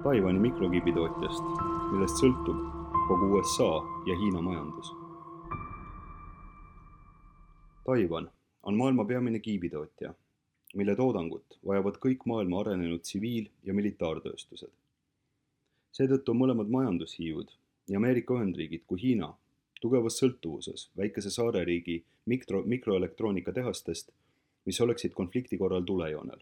Taiwani mikrokiibitootjast, millest sõltub kogu USA ja Hiina majandus. Taiwan on maailma peamine kiibitootja, mille toodangut vajavad kõik maailma arenenud tsiviil- ja militaartööstused. Seetõttu on mõlemad majandushiiud, nii Ameerika Ühendriigid kui Hiina, tugevas sõltuvuses väikese saareriigi mikroelektroonikatehastest, mis oleksid konflikti korral tulejoonel.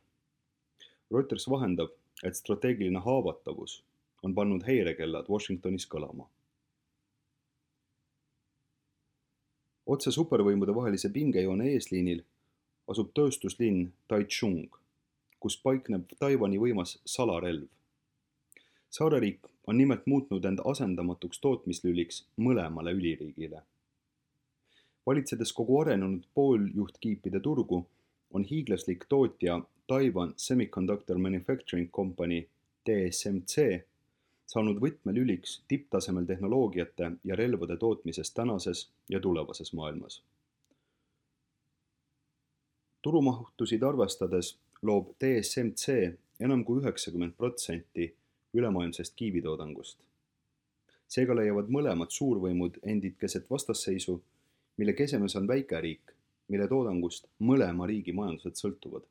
Reuters vahendab, et strateegiline haavatavus on pannud häirekellad Washingtonis kõlama. Otse supervõimude vahelise pingejoone eesliinil asub tööstuslinn Taichung, kus paikneb Taiwani võimas salarelv. Saareriik on nimelt muutnud end asendamatuks tootmislüliks mõlemale üliriigile. Valitsedes kogu arenenud pooljuhtkiipide turgu, on hiiglaslik tootja Taiwan Semiconductor Manufacturing Company TSMC saanud võtmelüliks tipptasemel tehnoloogiate ja relvade tootmises tänases ja tulevases maailmas. Turumahtusid arvestades loob TSMC enam kui 90% ülemaailmsest kiibitoodangust. Seega leiavad mõlemad suurvõimud endid keset vastasseisu, mille kesemes on väikeriik, mille toodangust mõlema riigi majandused sõltuvad.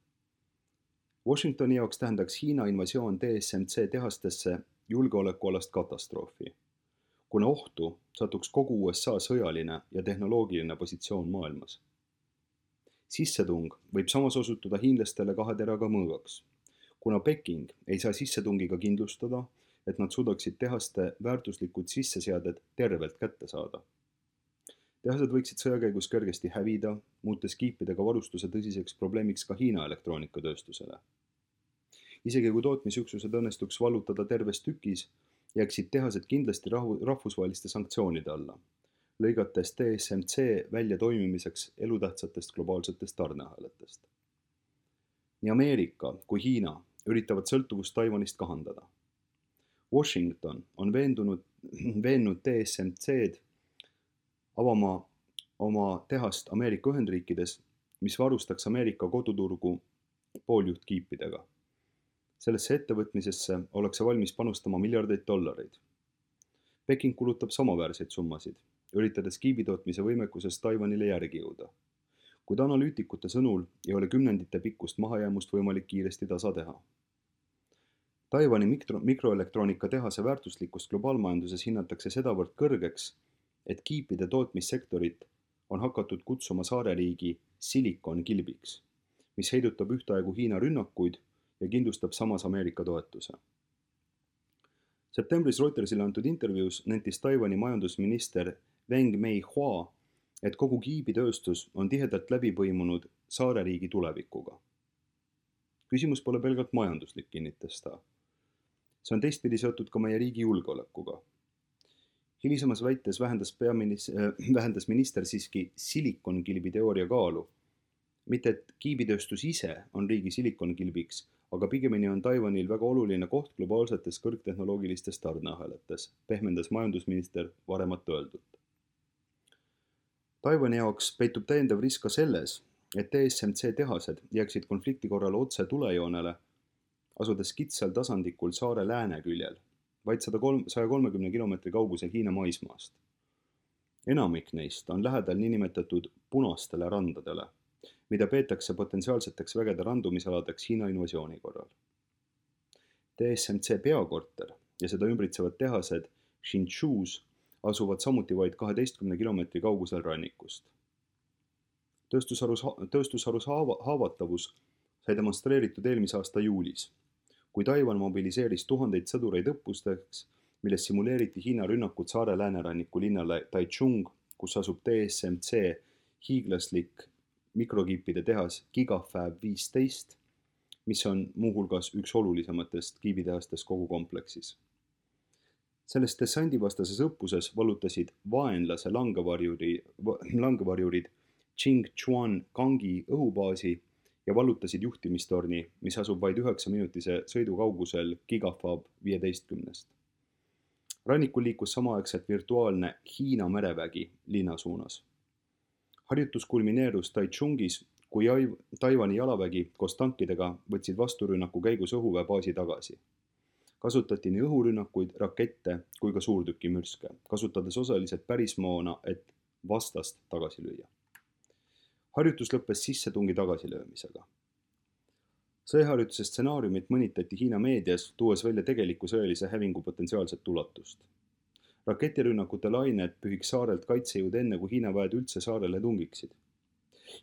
Washingtoni jaoks tähendaks Hiina invasioon TSMC tehastesse julgeolekualast katastroofi, kuna ohtu satuks kogu USA sõjaline ja tehnoloogiline positsioon maailmas. Sissetung võib samas osutuda hiinlastele kahe teraga mõõgaks, kuna Peking ei saa sissetungiga kindlustada, et nad suudaksid tehaste väärtuslikud sisseseaded tervelt kätte saada. Tehased võiksid sõja käigus kergesti hävida, muutes kiipidega varustuse tõsiseks probleemiks ka Hiina elektroonikatööstusele. Isegi kui tootmisüksused õnnestuks vallutada terves tükis, jääksid tehased kindlasti rahvusvaheliste sanktsioonide alla, lõigates TSMC välja toimimiseks elutähtsatest globaalsetest tarneahelatest. Nii Ameerika kui Hiina üritavad sõltuvust Taiwanist kahandada. Washington on veennud TSMC-d avama oma tehast Ameerika Ühendriikides, mis varustaks Ameerika koduturgu pooljuhtkiipidega. Sellesse ettevõtmisesse ollakse valmis panustama miljardeid dollareid. Peking kulutab samaväärseid summasid, üritades kiibitootmise võimekuses Taiwanile järgi jõuda. Kuid analüütikute sõnul ei ole kümnendite pikkust mahajäämust võimalik kiiresti tasa teha. Taiwani mikroelektroonika tehase väärtuslikkust globaalmajanduses hinnatakse sedavõrd kõrgeks, et kiipide tootmissektorit on hakatud kutsuma saareriigi Silicon kilbiks, mis heidutab ühtaegu Hiina rünnakuid ja kindlustab samas Ameerika toetuse. Septembris Reutersile antud intervjuus nentis Taiwani majandusminister Weng Meihua, et kogu kiibitööstus on tihedalt läbi põimunud saareriigi tulevikuga. Küsimus pole pelgalt majanduslik, kinnitas ta. See on teistpidi seotud ka meie riigi julgeolekuga. Hilisemas väites vähendas minister siiski silikonkilbi teooria kaalu. Mitte et kiibitööstus ise on riigi silikonkilbiks, aga pigemini on Taiwanil väga oluline koht globaalsetes kõrgtehnoloogilistes tarneahelates, pehmendas majandusminister varemat öeldut. Taiwani jaoks peitub täiendav risk ka selles, et TSMC tehased jääksid konflikti korral otse tulejoonele, asudes kitsal tasandikul saare lääne küljel, vaid 130 kilomeetri kaugusel Hiina maismaast. Enamik neist on lähedal niinimetatud punastele randadele, mida peetakse potentsiaalseteks vägede randumisaladeks Hiina invasiooni korral. TSMC peakorter ja seda ümbritsevad tehased Hsinchu's asuvad samuti vaid 12 kilomeetri kaugusel rannikust. Tööstusharus haavatavus sai demonstreeritud eelmise aasta juulis, kui Taiwan mobiliseeris tuhandeid sõdureid õppusteks, milles simuleeriti Hiina rünnakut saare lääneranniku linnale Taichung, kus asub TSMC hiiglaslik mikrokiipide tehas Gigafab 15, mis on muuhulgas üks olulisematest kiibitehastest kogu kompleksis. Selles dessandivastases õppuses vallutasid vaenlase langevarjurid Qingchuan Gangi õhubaasi ja vallutasid juhtimistorni, mis asub vaid 9-minutise sõidu kaugusel Gigafab 15. Rannikul liikus samaaegselt virtuaalne Hiina merevägi linna suunas. Harjutus kulmineerus Taichungis, kui Taiwani jalavägi koos tankidega võtsid vasturünnaku käigus õhuväebaasi tagasi. Kasutati nii õhurünnakuid, rakette kui ka suurtükimürske, kasutades osaliselt pärismoona, et vastast tagasi lüüa. Harjutus lõppes sissetungi tagasilöömisega. Sõjaharjutuse stsenaariumit mõnitati Hiina meedias, tuues välja tegeliku sõjalise hävingu potentsiaalset ulatust. Raketirünnakute lained pühiks saarelt kaitsejõud enne, kui Hiina väed üldse saarele tungiksid.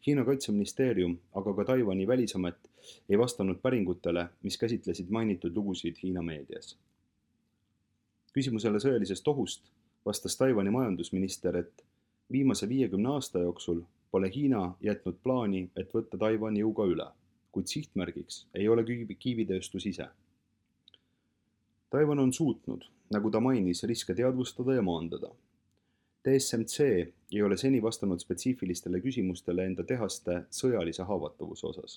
Hiina kaitseministeerium, aga ka Taiwani välisamet ei vastanud päringutele, mis käsitlesid mainitud lugusid Hiina meedias. Küsimusele sõjalisest ohust vastas Taiwani majandusminister, et viimase 50 aasta jooksul pole Hiina jätnud plaani, et võtta Taiwani jõuga üle, kuid sihtmärgiks ei ole kiivitööstus ise. Taiwan on suutnud, nagu ta mainis, riske teadvustada ja maandada. TSMC ei ole seni vastanud spetsiifilistele küsimustele enda tehaste sõjalise haavatavuse osas.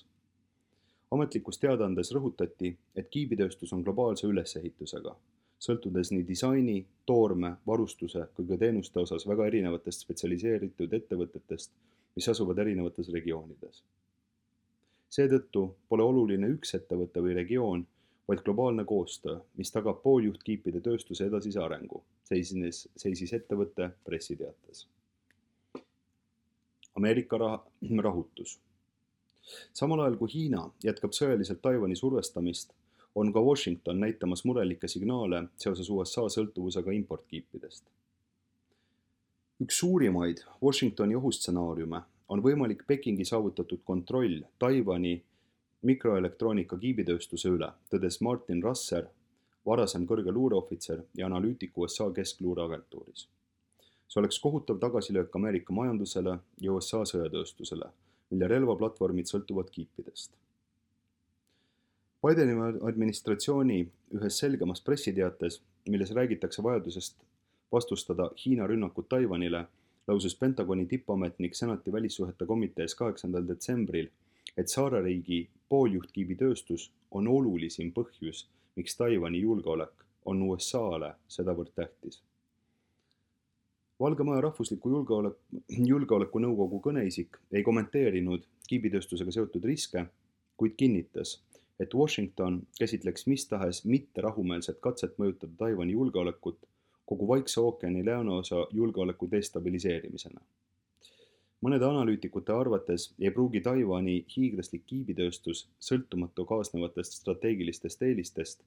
Ametlikus teadaandes rõhutati, et kiibitööstus on globaalse ülesehitusega, sõltudes nii disaini, toorme, varustuse kui ka teenuste osas väga erinevatest spetsialiseeritud ettevõtetest, mis asuvad erinevates regioonides. Seetõttu pole oluline üks ettevõte või regioon, vaid globaalne koostöö, mis tagab pooljuhtkiipide tööstuse edasise arengu, seisis ettevõtte pressiteates. Ameerika rahutus. Samal ajal kui Hiina jätkab sõjaliselt Taiwani survestamist, on ka Washington näitamas murelikke signaale seoses USA sõltuvusega importkiipidest. Üks suurimaid Washingtoni ohustsenaariume on võimalik Pekingi saavutatud kontroll Taiwani mikroelektroonika kiibitööstuse üle, tõdes Martin Rasser, varasem kõrge luureohvitser ja analüütik USA keskluureagentuuris. See oleks kohutav tagasilöök Ameerika majandusele ja USA sõjatööstusele, mille relvaplatvormid sõltuvad kiipidest. Bideni administratsiooni ühes selgemas pressiteates, milles räägitakse vajadusest vastustada Hiina rünnakud Taiwanile, lausus Pentagoni tippametnik Senati välissuhete komitees 8. detsembril, et saareriigi pooljuhtkiibitööstus on olulisim põhjus, miks Taiwani julgeolek on USA-le sedavõrd tähtis. Valge Maja rahvusliku julgeoleku nõukogu kõneisik ei kommenteerinud kiibitööstusega seotud riske, kuid kinnitas, et Washington käsitleks mis tahes mitte rahumeelset katset mõjutada Taiwani julgeolekut kogu Vaikse ookeani lõunaosa julgeoleku destabiliseerimisena. Mõnede analüütikute arvates ei pruugi Taiwani hiiglaslik kiibitööstus sõltumatu kaasnevatest strateegilistest eelistest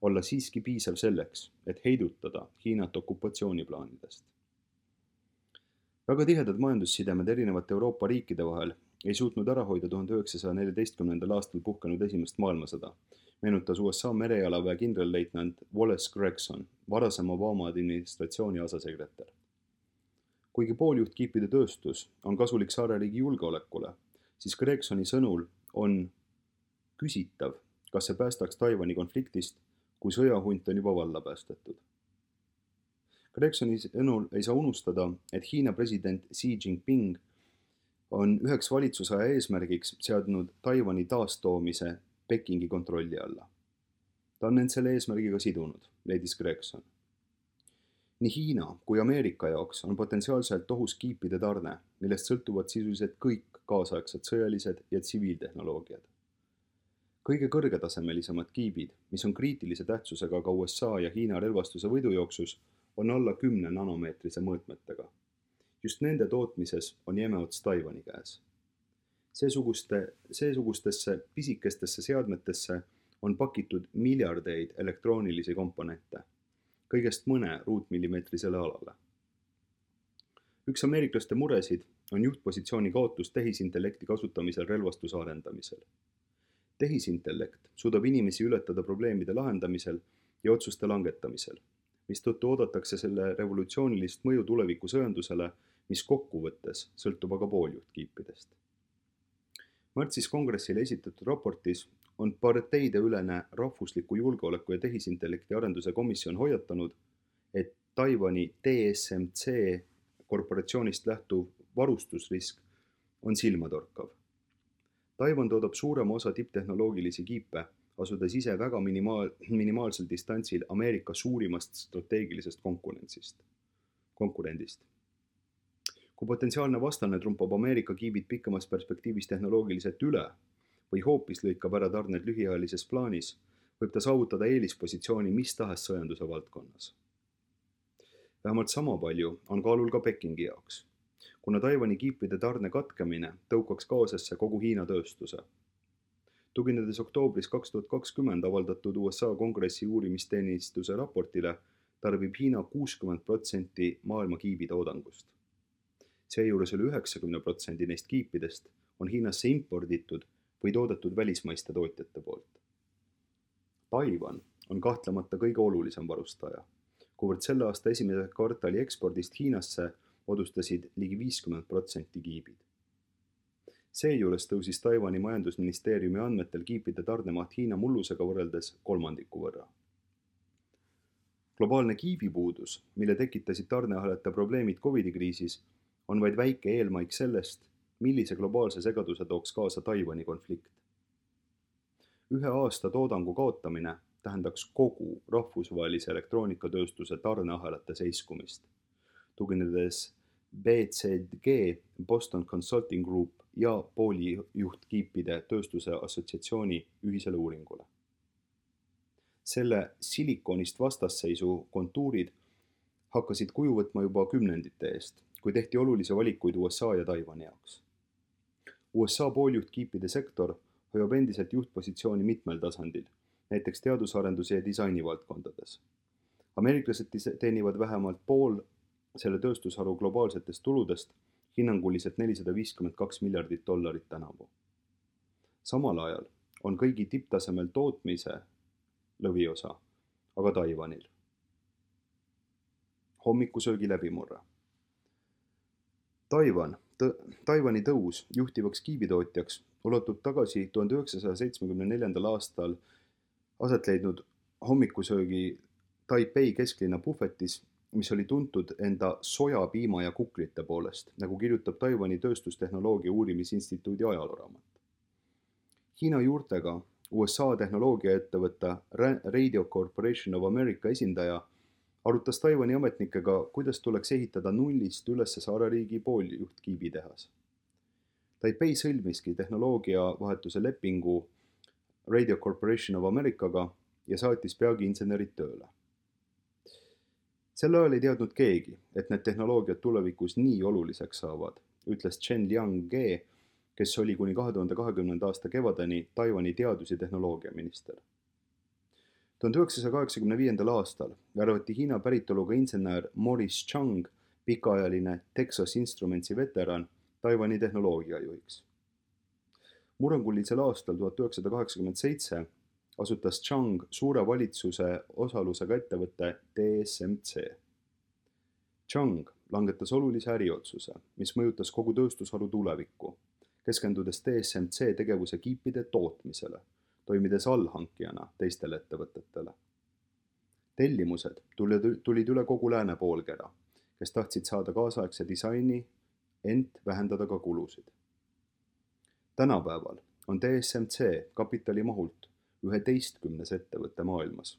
olla siiski piisav selleks, et heidutada Hiinat okupatsiooniplaanidest. Väga tihedad majandussidemed erinevate Euroopa riikide vahel ei suutnud ära hoida 1914. aastal puhkenud esimest maailmasõda, meenutas USA merejalaväe kindralleitnant Wallace Gregson, varasem Obama administratsiooni asesekretär. Kuigi pooljuhtkiipide tööstus on kasulik saareriigi julgeolekule, siis Gregsoni sõnul on küsitav, kas see päästaks Taiwani konfliktist, kui sõjahunt on juba valla päästetud. Gregsoni sõnul ei saa unustada, et Hiina president Xi Jinping on üheks valitsusaja eesmärgiks seadnud Taiwani taastoomise Pekingi kontrolli alla. Ta on end selle eesmärgiga sidunud, leidis Gregson. Nii Hiina kui Ameerika jaoks on potentsiaalselt ohus kiipide tarne, millest sõltuvad sisuliselt kõik kaasaegsed sõjalised ja tsiviiltehnoloogiad. Kõige kõrgetasemelisemad kiibid, mis on kriitilise tähtsusega ka USA ja Hiina relvastuse võidujooksus, on alla 10 nanomeetrise mõõtmetega. Just nende tootmises on jämeots Taiwani käes. Seesugustesse pisikestesse seadmetesse on pakitud miljardeid elektroonilisi komponente, kõigest mõne ruutmillimeetrisele alale. Üks ameeriklaste muresid on juhtpositsiooni kaotus tehisintellekti kasutamisel relvastuse arendamisel. Tehisintellekt suudab inimesi ületada probleemide lahendamisel ja otsuste langetamisel, mistõttu oodatakse selle revolutsioonilist mõju tuleviku sõjandusele, mis kokkuvõttes sõltub aga pooljuhtkiipidest. Märtsis kongressile esitatud raportis on parteideülene rahvusliku julgeoleku ja tehisintellekti arenduse komisjon hoiatanud, et Taiwani TSMC korporatsioonist lähtuv varustusrisk on silmatorkav. Taiwan toodab suurema osa tipptehnoloogilisi kiipe, asudes ise väga minimaalsel distantsil Ameerika suurimast strateegilisest konkurendist. Kui potentsiaalne vastane trumpab Ameerika kiibid pikemas perspektiivis tehnoloogiliselt üle või hoopis lõikab ära tarned lühiajalises plaanis, võib ta saavutada eelispositsiooni mis tahes sõjanduse valdkonnas. Vähemalt sama palju on kaalul ka Pekingi jaoks, kuna Taiwani kiipide tarne katkemine tõukaks kaasesse kogu Hiina tööstuse. Tuginedes oktoobris 2020 avaldatud USA kongressi uurimisteenistuse raportile, tarbib Hiina 60% maailma kiibitoodangust. Seejuures üle 90% neist kiipidest on Hiinasse imporditud või toodetud välismaiste tootjate poolt. Taiwan on kahtlemata kõige olulisem varustaja, kuivõrd selle aasta esimese kvartali ekspordist Hiinasse moodustasid ligi 50% kiibid. Seejuures tõusis Taiwani majandusministeeriumi andmetel kiipide tarnemaht Hiina mullusega võrreldes 1/3 võrra. Globaalne kiibipuudus, mille tekitasid tarneahelate probleemid COVID-kriisis, on vaid väike eelmaik sellest, millise globaalse segaduse tooks kaasa Taiwani konflikt. 1 aasta toodangu kaotamine tähendaks kogu rahvusvahelise elektroonikatööstuse tarneahelate seiskumist, tuginedes BCG, Boston Consulting Group ja poolijuhtkiipide tööstuse assotsiatsiooni ühisele uuringule. Selle silikoonist vastasseisu kontuurid hakkasid kuju võtma juba kümnendite eest, kui tehti olulisi valikuid USA ja Taiwani jaoks. USA pooljuhtkiipide sektor hoiab endiselt juhtpositsiooni mitmel tasandil, näiteks teadusarenduse ja disaini valdkondades. Ameeriklased teenivad vähemalt pool selle tööstusharu globaalsetest tuludest, hinnanguliselt $452 miljardit tänavu. Samal ajal on kõigi tipptasemel tootmise lõviosa, aga Taiwanil. Hommikusöögi läbimurre. Taiwani tõus juhtivaks kiibitootjaks ulatub tagasi 1974. aastal aset leidnud hommikusöögi Taipei kesklinna puhvetis, mis oli tuntud enda soja, piima ja kuklite poolest, nagu kirjutab Taiwani tööstustehnoloogia uurimisinstituudi ajalooraamat. Hiina juurtega USA tehnoloogiaettevõtte Radio Corporation of America esindaja arutas Taiwani ametnikega, kuidas tuleks ehitada nullist üles saareriigi pooljuhtkiibitehas. Taipei sõlmiski tehnoloogiavahetuse lepingu Radio Corporation of Americaga ja saatis peagi insenerid tööle. Sel ajal ei teadnud keegi, et need tehnoloogiad tulevikus nii oluliseks saavad, ütles Chen Liang-ge, kes oli kuni 2020. aasta kevadeni Taiwani teadus- ja tehnoloogiaminister. 1985. aastal värvati Hiina päritoluga insener Morris Chang, pikaajaline Texas Instrumentsi veteran, Taiwani tehnoloogiajuhiks. Murrangulisel aastal 1987 asutas Chang suure valitsuse osalusega ettevõtte TSMC. Chang langetas olulise äriotsuse, mis mõjutas kogu tööstusharu tulevikku, keskendudes TSMC tegevuse kiipide tootmisele, toimides allhankijana teistele ettevõtetele. Tellimused tulid üle kogu lääne poolkera, kes tahtsid saada kaasaegse disaini, ent vähendada ka kulusid. Tänapäeval on TSMC kapitalimahult 11. ettevõtte maailmas.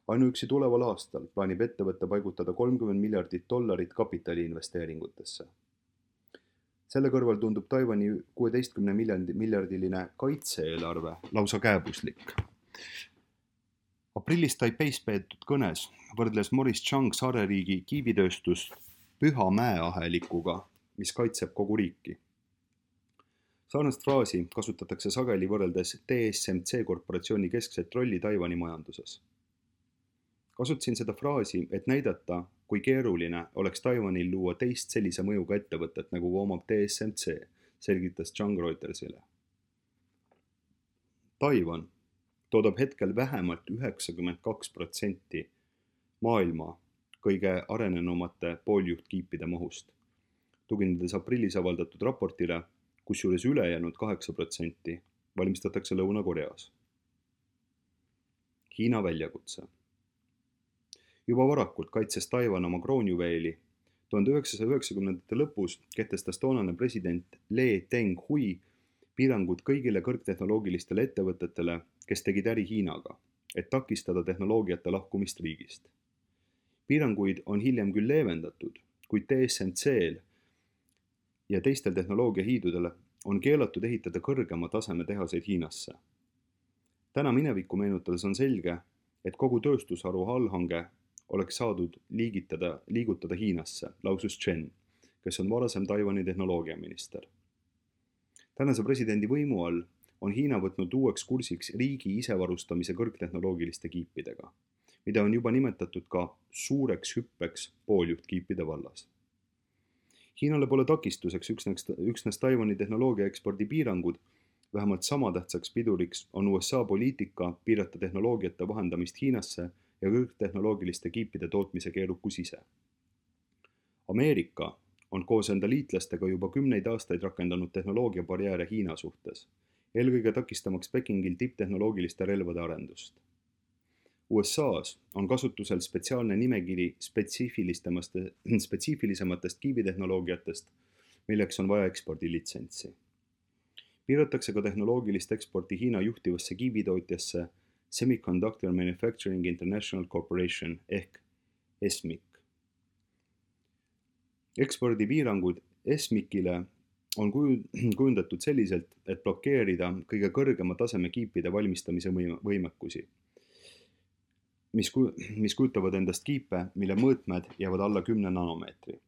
Ainuüksi tuleval aastal plaanib ettevõtte paigutada $30 miljardit kapitaliinvesteeringutesse. Selle kõrval tundub Taiwani 16 miljardiline kaitse-eelarve lausa kääbuslik. Aprillis Taipeis peetud kõnes võrdles Morris Chang saareriigi kiibitööstust püha mäeahelikuga, mis kaitseb kogu riiki. Sarnast fraasi kasutatakse sageli võrreldes TSMC korporatsiooni keskset rolli Taiwani majanduses. Kasutasin seda fraasi, et näidata, kui keeruline oleks Taiwanil luua teist sellise mõjuga ettevõtet, nagu omab TSMC, selgitas Chang Reutersile. Taiwan toodab hetkel vähemalt 92% maailma kõige arenenumate pooljuhtkiipide mahust, tuginedes aprillis avaldatud raportile, kusjuures ülejäänud 8% valmistatakse Lõuna-Koreas. Hiina väljakutse. Juba varakult kaitses Taiwan oma kroonjuveeli. 1990. lõpus kehtestas toonane president Lee Teng-hui piirangud kõigile kõrgtehnoloogilistele ettevõtetele, kes tegid äri Hiinaga, et takistada tehnoloogiate lahkumist riigist. Piiranguid on hiljem küll leevendatud, kuid TSMC-l ja teistel tehnoloogiahiidudel on keelatud ehitada kõrgema taseme tehaseid Hiinasse. täna minevikku meenutades on selge, et kogu tööstusharu allhange oleks saadud liigutada Hiinasse, lausus Chen, kes on varasem Taiwani tehnoloogiaminister. Tänase presidendi võimu all on Hiina võtnud uueks kursiks riigi isevarustamise kõrgtehnoloogiliste kiipidega, mida on juba nimetatud ka suureks hüppeks pooljuhtkiipide vallas. Hiinale pole takistuseks üksnes Taiwani tehnoloogia ekspordi piirangud, vähemalt sama tähtsaks piduriks on USA poliitika piirata tehnoloogiate vahendamist Hiinasse ja kõrgtehnoloogiliste kiipide tootmise keerukus ise. Ameerika on koos enda liitlastega juba 10 aastaid rakendanud tehnoloogia barjääre Hiina suhtes, eelkõige takistamaks Pekingil tipptehnoloogiliste relvade arendust. USA-s on kasutusel spetsiaalne nimekiri spetsiifilisematest kiibitehnoloogiatest, milleks on vaja ekspordilitsentsi. Piiratakse ka tehnoloogilist eksporti Hiina juhtivasse kiibitootjasse Semiconductor Manufacturing International Corporation ehk SMIC. Ekspordipiirangud SMIC-ile on kujundatud selliselt, et blokeerida kõige kõrgema taseme kiipide valmistamise võimekusi, mis kujutavad endast kiipe, mille mõõtmed jäävad alla 10 nanomeetri.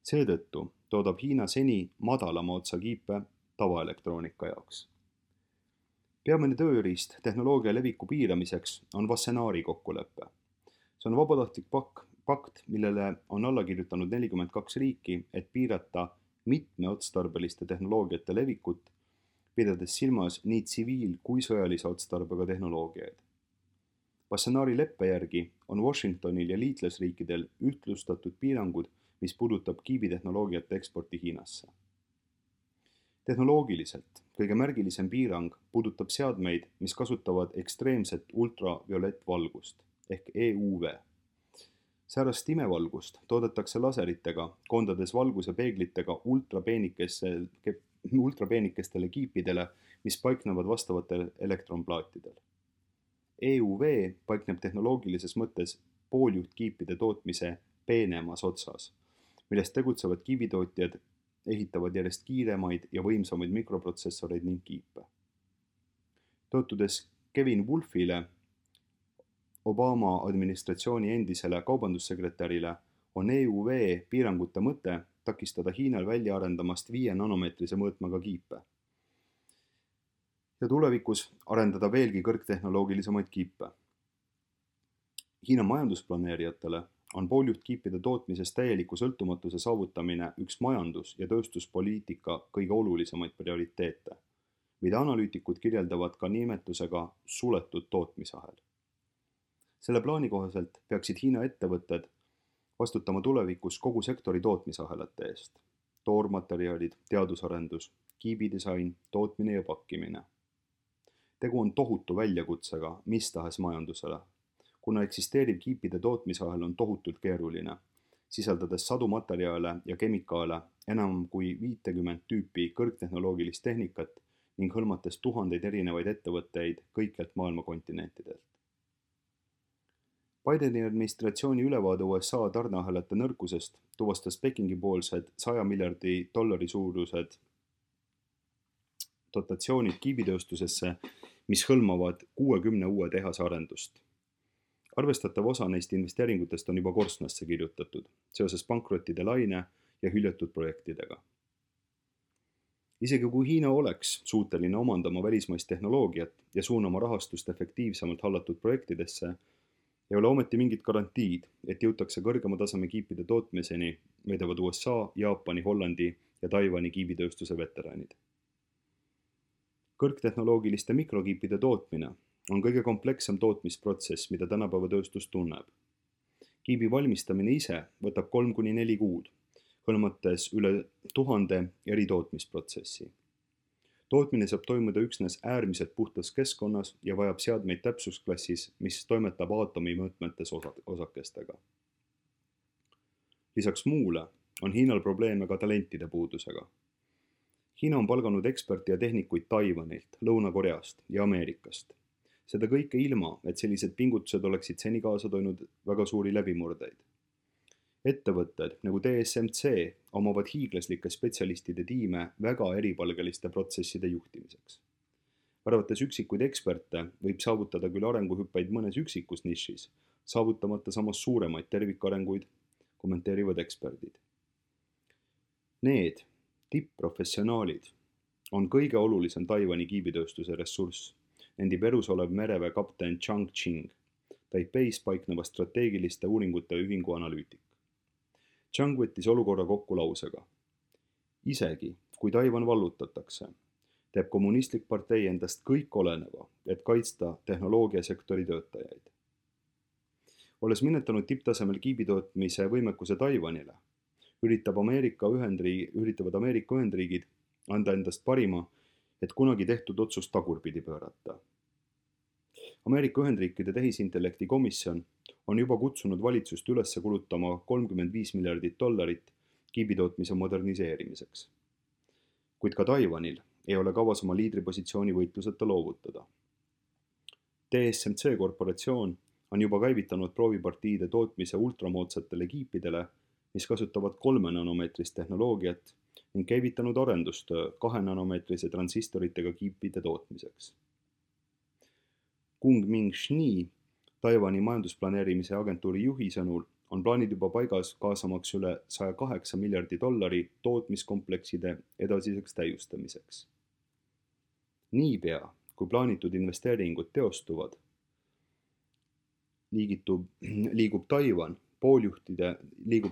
Seetõttu toodab Hiina seni madalama otsa kiipe tavaelektroonika jaoks. Peamine tööriist tehnoloogia leviku piiramiseks on Wassenaari kokkulepe. See on vabatahtlik pakt, millele on alla kirjutanud 42 riiki, et piirata mitmeotstarbeliste tehnoloogiate levikut, pidades silmas nii tsiviil- kui sõjalise otstarbega tehnoloogiaid. Wassenaari leppe järgi on Washingtonil ja liitlasriikidel ühtlustatud piirangud, mis puudutab kiibitehnoloogiate eksporti Hiinasse. Tehnoloogiliselt kõige märgilisem piirang puudutab seadmeid, mis kasutavad ekstreemset ultraviolettvalgust ehk EUV. Säärast imevalgust toodetakse laseritega, koondades valguse peeglitega ultrapeenikestele kiipidele, mis paiknevad vastavatel elektronplaatidel. EUV paikneb tehnoloogilises mõttes pooljuhtkiipide tootmise peenemas otsas, milles tegutsevad kiibitootjad ehitavad järjest kiiremaid ja võimsamaid mikroprotsessoreid ning kiipe. Toetudes Kevin Wolfile, Obama administratsiooni endisele kaubandussekretärile, on EUV piirangute mõte takistada Hiinal välja arendamast 5 nanomeetrise mõõtmega kiipe ja tulevikus arendada veelgi kõrgtehnoloogilisemaid kiipe. Hiina majandusplaneerijatele on pooljuhtkiipide tootmises täieliku sõltumatuse saavutamine üks majandus- ja tööstuspoliitika kõige olulisemaid prioriteete, mida analüütikud kirjeldavad ka nimetusega suletud tootmisahel. Selle plaani kohaselt peaksid Hiina ettevõtted vastutama tulevikus kogu sektori tootmisahelate eest: toormaterjalid, teadusarendus, kiibidisain, tootmine ja pakkimine. Tegu on tohutu väljakutsega mis tahes majandusele, kuna eksisteeriv kiipide tootmisahel on tohutult keeruline, sisaldades sadu materjale ja kemikaale, enam kui 50 tüüpi kõrgtehnoloogilist tehnikat ning hõlmates tuhandeid erinevaid ettevõtteid kõikjalt maailma kontinentidelt. Bideni administratsiooni ülevaade USA tarneahelate nõrkusest tuvastas Pekingi poolsed $100 miljardi suurused dotatsioonid kiibitööstusesse, mis hõlmavad 60 uue tehase arendust. Arvestatav osa neist investeeringutest on juba korstnasse kirjutatud seoses pankrottide laine ja hüljatud projektidega. Isegi kui Hiina oleks suuteline omandama välismaist tehnoloogiat ja suunama rahastust efektiivsemalt hallatud projektidesse, ei ole ometi mingit garantiid, et jõutakse kõrgema taseme kiipide tootmiseni, väidavad USA, Jaapani, Hollandi ja Taiwani kiibitööstuse veteranid. Kõrgtehnoloogiliste mikrokiipide tootmine on kõige komplekssem tootmisprotsess, mida tänapäeva tööstus tunneb. Kiibi valmistamine ise võtab 3–4 kuud, hõlmates üle 1000 eri tootmisprotsessi. Tootmine saab toimuda üksnes äärmiselt puhtas keskkonnas ja vajab seadmeid täpsusklassis, mis toimetab aatomi mõõtmetes osakestega. Lisaks muule on Hiinal probleeme ka talentide puudusega. Hiina on palganud eksperti ja tehnikuid Taiwanilt, Lõuna-Koreast ja Ameerikast. Seda kõike ilma, et sellised pingutused oleksid seni kaasa toonud väga suuri läbimurdeid. Ettevõtted nagu TSMC omavad hiiglaslike spetsialistide tiime väga eripalgeliste protsesside juhtimiseks. arvates üksikuid eksperte võib saavutada küll arenguhüppeid mõnes üksikus nišis, saavutamata samas suuremaid tervikarenguid, kommenteerivad eksperdid. Need tipp-professionaalid on kõige olulisem Taiwani kiibitööstuse ressurss, nendib elus olev mereväe kapten Chang Qing, Taipeis paikneva strateegiliste uuringute ühingu analüütik. Chang võttis olukorra kokku lausega. Isegi, kui Taiwan vallutatakse, teeb kommunistlik partei endast kõik oleneva, et kaitsta tehnoloogiasektori töötajaid. Olles minetanud tipptasemel kiibitootmise võimekuse Taiwanile, üritavad Ameerika Ühendriigid anda endast parima, et kunagi tehtud otsust tagurpidi pöörata. Ameerika Ühendriikide tehisintellekti komisjon on juba kutsunud valitsust üles kulutama $35 miljardit kiibitootmise moderniseerimiseks. Kuid ka Taiwanil ei ole kavas oma liidripositsiooni võitluseta loovutada. TSMC korporatsioon on juba käivitanud proovipartiide tootmise ultramoodsatele kiipidele, mis kasutavad 3-nanomeetrist tehnoloogiat ning käivitanud arendustöö 2-nanomeetrise transistoritega kiipide tootmiseks. Kung-Ming Shni, Taiwani majandusplaneerimise agentuuri juhi sõnul, on plaanid juba paigas kaasamaks üle $108 miljardi tootmiskomplekside edasiseks täiustamiseks. Niipea, kui plaanitud investeeringud teostuvad, liigub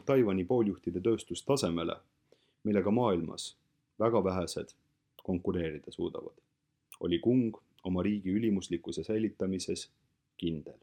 Taiwani pooljuhtide tööstus tasemele, millega maailmas väga vähesed konkureerida suudavad, oli Kung oma riigi ülimuslikkuse säilitamises kindel.